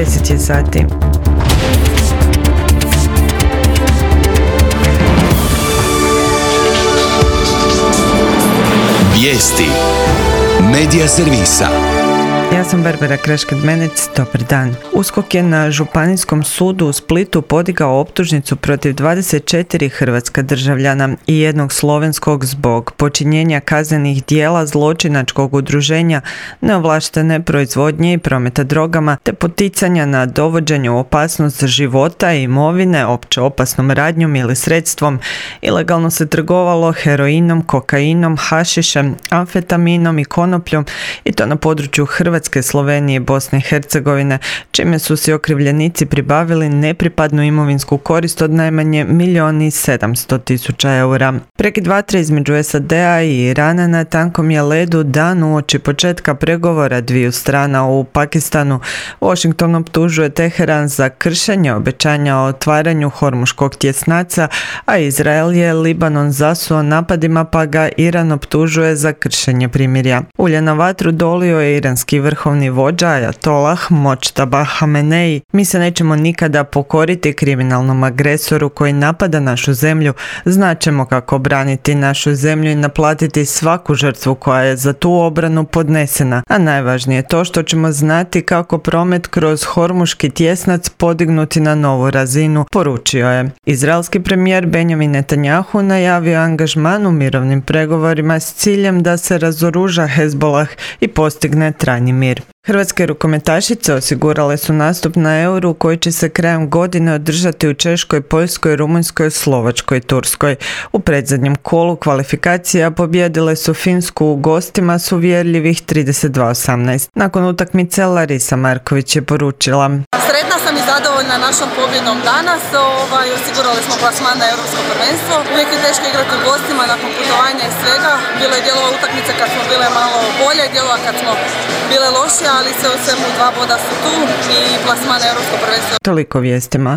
10 je sati. Vijesti Medija servisa. Ja sam Barbara Kraškad-Menec, dobar dan. USKOK je na Županijskom sudu u Splitu podigao optužnicu protiv 24 hrvatska državljana i jednog slovenskog zbog počinjenja kaznenih djela zločinačkog udruženja, neovlaštene proizvodnje i prometa drogama, te poticanja na dovođenje u opasnost života i imovine opće opasnom radnjom ili sredstvom. Ilegalno se trgovalo heroinom, kokainom, hašišem, amfetaminom i konopljom, i to na području Hrvatske, Slovenije i Bosne i Hercegovine, čime su si okrivljenici pribavili nepripadnu imovinsku korist od najmanje 1.700.000 eura. Prekid vatre između SAD-a i Irana na tankom je ledu dan uoči početka pregovora dviju strana u Pakistanu. Washington optužuje Teheran za kršenje obećanja o otvaranju Hormuškog tjesnaca, a Izrael je Libanon zasuo napadima, pa ga Iran optužuje za kršenje primirja. Ulje na vatru dolio je iranski vrhovni vođa Ajatolah Močtaba Hamenei. Mi se nećemo nikada pokoriti kriminalnom agresoru koji napada našu zemlju. Znaćemo kako braniti našu zemlju i naplatiti svaku žrtvu koja je za tu obranu podnesena. A najvažnije je to što ćemo znati kako promet kroz Hormuški tjesnac podignuti na novu razinu, poručio je. Izraelski premijer Benjamin Netanjahu najavio angažman u mirovnim pregovorima s ciljem da se razoruža Hezbolah i postigne trajni mir. Hrvatske rukometašice osigurale su nastup na Euru koji će se krajem godine održati u Češkoj, Poljskoj, Rumunjskoj, Slovačkoj i Turskoj. U predzadnjem kolu kvalifikacija pobijedile su Finsku u gostima s uvjerljivih 32-18. Nakon utakmice Larisa Marković je poručila: Sretna sam i zadovoljna našom pobjedom danas. Osigurali smo plasman na Europsko prvenstvo. Uvijek je teško igrati u gostima nakon putovanja i svega. Bilo je dijelova utakmice kad smo bile malo bolje, dijelova kad smo bile lošije, ali sve u svemu 2 boda su tu i plasman na Europsko prvenstvo. Toliko vijestima.